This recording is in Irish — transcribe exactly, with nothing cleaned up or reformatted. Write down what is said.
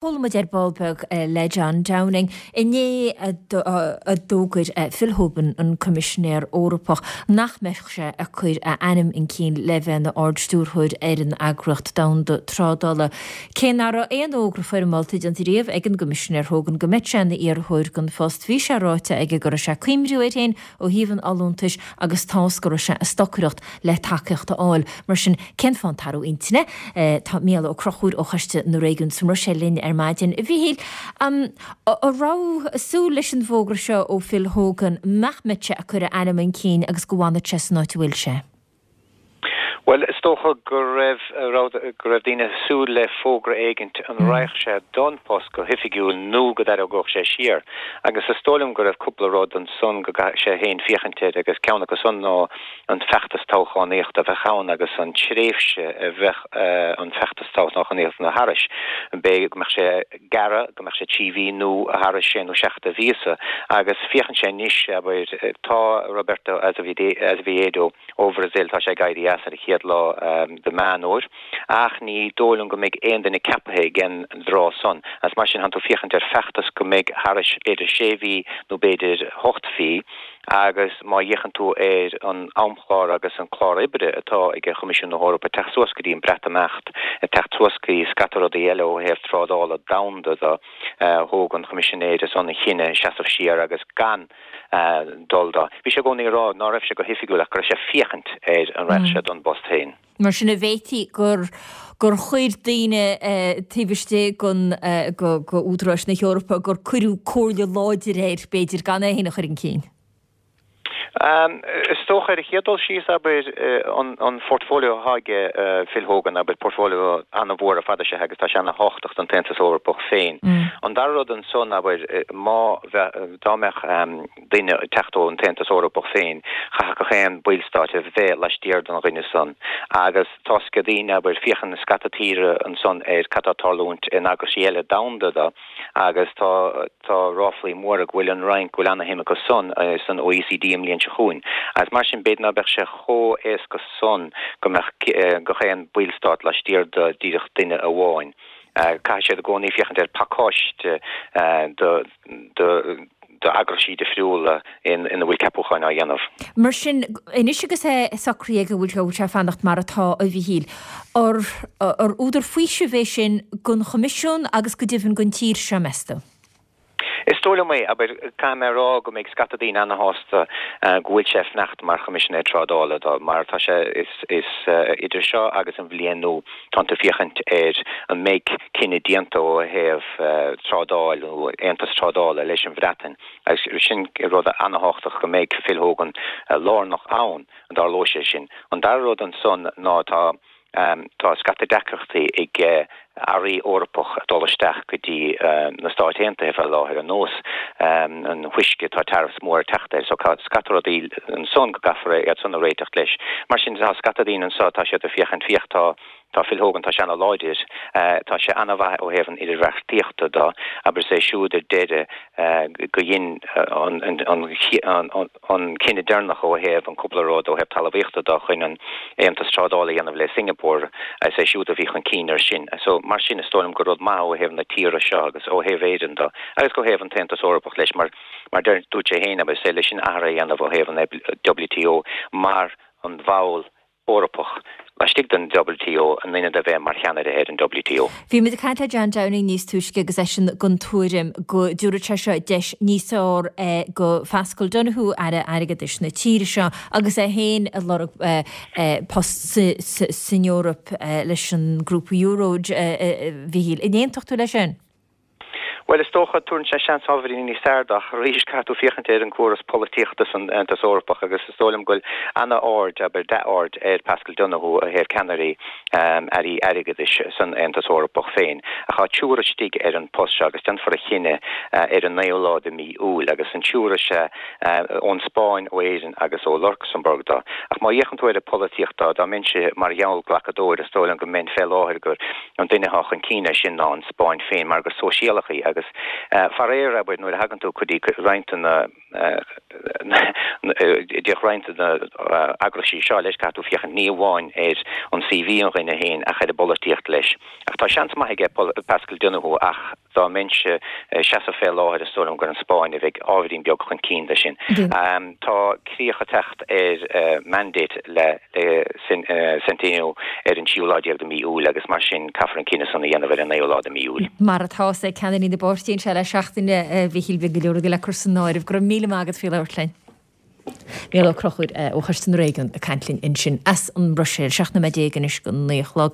Buailfidh muid ar ball beag le John Downing. Inné a d'fhógair Phil Hogan, an Coimisinéir Eorpach, nach mbeadh sé ag cur a ainm chun cinn le bheith ina ardstiúrthóir ar an Eagraíocht Domhanda Trádála. Cé nach raibh aon fhógra foirmeálta déanta riamh ag an gCoimisinéir Hogan go mbeadh sé ina iarrthóir don phost, bhí sé ráite aige go raibh sé ag cuimhniú air féin ó thaobh an fholúntais agus tá's go raibh sé ag stocaireacht le tacaíocht a fháil. Mar sin, cén fáth an t-athrú intinne? Tá Mícheál Ó Conchúir ó Choiste na Réigiún sa mBruiséil linn ar maidin. A Mhíchíl, an raibh súil leis an bhfógra seo ó Phil Hogan nach mbeadh sé ag cur a ainm chun cinn agus go bhfanfadh sé san áit a bhfuil sé? Bhuel, is dócha go raibh go raibh daoine ag súil le fógra éigint an raghadh sé don post go hoifigiúil nó go dtarraingeodh sé siar. Agus is dóigh liom go raibh cúpla rud ansan go gcaithfeadh sé féin féachaint air agus ceann acu san ná an feachtas toghchánaíochta a bheadh ann agus an tréimhse a bheadh an feachtas toghchánaíochta thairis. B'fhéidir go mbeadh sé gearr, go mbeadh sé trí mhí nó thairis sé nó seacht de mhíosa. Agus féachann sé anois, abair, tá Roberto Azevedo ó Bhrasaíl, tá sé ag éirí as ar an chéad lá de Mheán Fhómhair, ach ní dóigh liom go mbeidh aon duine ceaptha ag an dtráth san. Agus mar sin, tánn tú féachaint ar feachtas go mbeidh thairis b'fhéidir sé mhí nó b'fhéidir ocht mhí, agus má fhéachann tú ar an amchlár agus an clár oibre atá ag Coimisiún na hEorpa, ag teacht suas go dtí an Breatimeacht, ag teacht suas go dtí scata rudaí eile ó thaobh trádála domhanda de, thóg an Choimisinéir san an chinneadh seasamh siar agus gan dul dó. Bhí sé i gcónaí ag rá ná raibh sé go hoifigiúil ach go raibh sé ag féachaint ar an raghadh sé don bpost féin. Mar sin an bhféadfaí gur gur chuir daoine taobh istigh den go go údaráis na hEorpa gur cuireadh comhairle láidir air b'fhéidir gan é féin a chur chun cinn. Is dócha ar an chéad dul síos, abair, an portfolio atá aige Phil Hogan, abair, portfolio an-mhór ar fad is ea agus tá sé ana-thábhachtach don tAontas Eorpach féin. An dara rud ansan, abair, má bheadh, dá mbeadh duine ag teacht ón tAontas Eorpach féin, chaithfeadh gach aon bhallstát a bheith laistiar den dhuine san. Agus tá 's ag daoine, abair, féachann scata tíre ansan ar cad tá ag tarlúint in eaglaisí eile domhanda do agus tá, tá ráflaí móra go bhfuil an Fhrainc, go bhfuil ana-shuim acu san san OECD an bhliain seo chugainn. Agus mar sin, b'fhéidir ná beadh sé chomh éasca san go mbeadh gach aon bhallstát laistiar de díreach duine amháin. Caithfidh siad i gcónaí féachaint ar phacáiste de de d'eagraisí difriúla ina bhfuil ceapúcháin á dhéanamh. Mar sin, anois agus é socraithe go bhfuil sé ag fanacht mar atá, a Mhichíl, ar ar údar faoisimh é sin don Choimisiún agus go deimhin don tír seo, meas tú? Is dóigh liom é, abair, caithfidh mé a rá go mbeidh scata daoine ana-shásta go bhfuil sé ag fanacht mar Choimisinéir Trádála do, mar tá sé, is, is idir seo agus an bhliain nua, tánn tú ag féachaint ar an mbeidh cinneadh déanta ó thaobh trádáil nó aontas trádála leis an Bhreatain agus sin rud ana-thábhachtach go mbeidh Phil Hogan lárnach ann, an dtarlóidh sé sin. An dara rud ansan ná tá Tá scata deacrachtaí ag earraí Eorpach ag dul isteach go dtí na Stáit Aontaithe fé láthair, ar nós an fuisce, tá tariffs mór ag teacht air, so tá scata rudaí ansan go gcaithfear iad san a réiteach leis. Mar sin tá scata daoine anso, tá siad ag féachaint, féach tá tá Phil Hogan, tá sé ana-láidir, tá sé ana-mhaith ó thaobh an idirbheartaíochta do, abair is é siúd ar deireadh go dhein an an an cinneadh deireanach ó thaobh an cúpla rud ó thaobh talmhaíochta do chun an aontas trádála a dhéanamh le Singapore, is é siúd a bhí chun cinn air sin. So, mar sin, is dóigh liom gur rud maith ó thaobh na tíre seo agus ó thaobh Éireann do, agus ó thaobh an tAontas Eorpach leis, mar, mar deir, dúirt sé féin, is é leis an athrú a dhéanamh ó thaobh an WTO mar an bhall Eorpach laistigh den WTO in ionad a bheith mar cheannaire ar an WTO. Bhí muid ag caint le John Downing níos túisce agus eisean den tuairim go dtabharfadh sé seo deis níos fearr do Phaschal Donohoe, Aire Airgeadais na tíre seo, agus é féin ag lorg post san Eoraip leis an ngrúpa Euro, a Mhichíl. An aontódh tú leis sin? Bhuel, is dócha, tabharann sé seans ábhairín níos fearr dó, ach arís, caithfidh tú féachaint ar an gcóras polaitíochta san Aontas Eorpach agus is dóigh liom go bhfuil ana-aird, abair, dea-aird ar Paschal Donohoe ó thaobh ceannairí airí airgeadais san Aontas Eorpach féin. Ach tá triúr istigh ar an bpost seo agus déanfar a chinneadh ar an naoú lá de mí Iúil agus an triúr is ea ón Spáinn, ó Éirinn agus ó Lucsamburg dó. Ach má fhéachann tú ar an bpolaitíocht dó, dá mbeinnse mar gheallghlacadóir, is dóigh liom go mbeinn fé láthair gur An duine atá chun cinn air sin ná an Spáinn féin mar gur sóisialach í agus faraor, abair, nuair a thagann tú go dtí roinnt de na D'fhéach roinnt de na eagraisí seo leis, caithfidh tú féachaint ní amháin ar an C V an dhuine féin ach ar an bpolaitíocht leis. Ach tá seans maith aige Paschal Donohoe, ach dá mbeinnse ag seasamh fé láthair is dóigh liom gur an Spáinn a bheidh ábhairín beag chun cinn de sin. Tá críoch ag teacht ar mandate le Centeno ar an tríú lá déag de mí Iúil agus mar sin caithfear an cinneadh san a dhéanamh ar an naoú lá de mí Iúil. Mar atá sé ceannairí na bpáirtithe anseo le seachtain, a Mhíchíl, beidh go leor rudaí le cur san áireamh. Go raibh míle maith agat faoi labhairt linn. Mícheál Ó Conchúir ó Choiste na Réigiún ag caint linn ansin as an mBruiséil. Seacht nóiméad déag anois go naoi a chlog.